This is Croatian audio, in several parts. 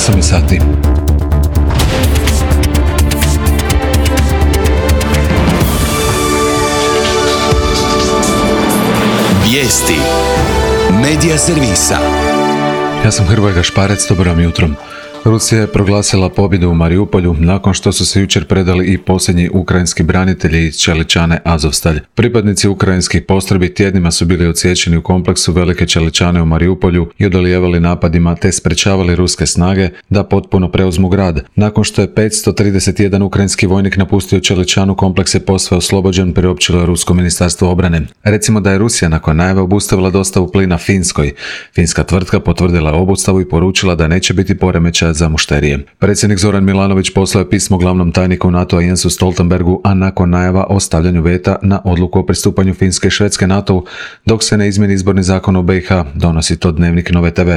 8 je sati. Vijesti Medija servisa. Ja sam Hrvoje Gašparec, dobro vam jutro. Rusija je proglasila pobjedu u Mariupolju nakon što su se jučer predali i posljednji ukrajinski branitelji iz Čeličane Azovstalj. Pripadnici ukrajinskih postrojbi tjednima su bili odsječeni u kompleksu Velike Čeličane u Mariupolju i odolijevali napadima te sprečavali ruske snage da potpuno preuzmu grad. Nakon što je 531 ukrajinski vojnik napustio Čeličanu, kompleks je posve oslobođen, priopćilo je Rusko ministarstvo obrane. Recimo da je Rusija nakon najave obustavila dostavu plina Finskoj. Finska tvrtka potvrdila obustavu i poručila da neće biti poremećaja za mušterije. Predsjednik Zoran Milanović poslao je pismo glavnom tajniku NATO-a Jensu Stoltenbergu, a nakon najava o stavljanju veta na odluku o pristupanju Finske i Švedske NATO-u, dok se ne izmjeni izborni zakon u BiH, donosi to Dnevnik Nove TV.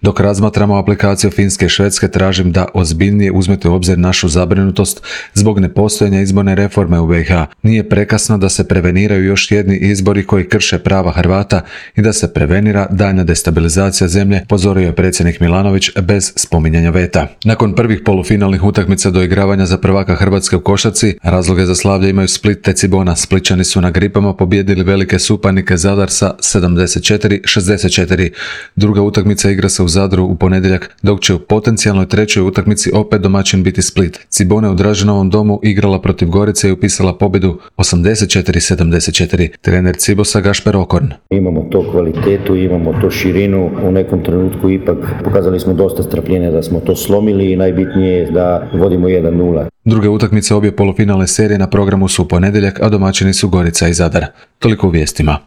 Dok razmatramo aplikaciju Finske i Švedske, tražim da ozbiljnije uzmete u obzir našu zabrinutost zbog nepostojanja izborne reforme u BiH. Nije prekasno da se preveniraju još jedni izbori koji krše prava Hrvata i da se prevenira daljnja destabilizacija zemlje, pozorio je predsjednik Milanović bez spominjanja veta. Nakon prvih polufinalnih utakmica doigravanja za prvaka Hrvatske u košarci, razloge za slavlje imaju Split te Cibona. Splićani su na Gripama pobijedili velike suparnike Zadar sa 74-64. Druga utakmica igra se u Zadru u ponedjeljak, dok će u potencijalnoj trećoj utakmici opet domaćin biti Split. Cibona je u Draženovom domu igrala protiv Gorice i upisala pobjedu 84-74. Trener Cibosa Gašper Okorn. Imamo to kvalitetu, imamo to širinu, u nekom trenutku ipak pokazali smo dosta strpljenja da smo to slomili i najbitnije je da vodimo 1-0. Druge utakmice obje polufinalne serije na programu su u ponedjeljak, a domaćini su Gorica i Zadar. Toliko u vijestima.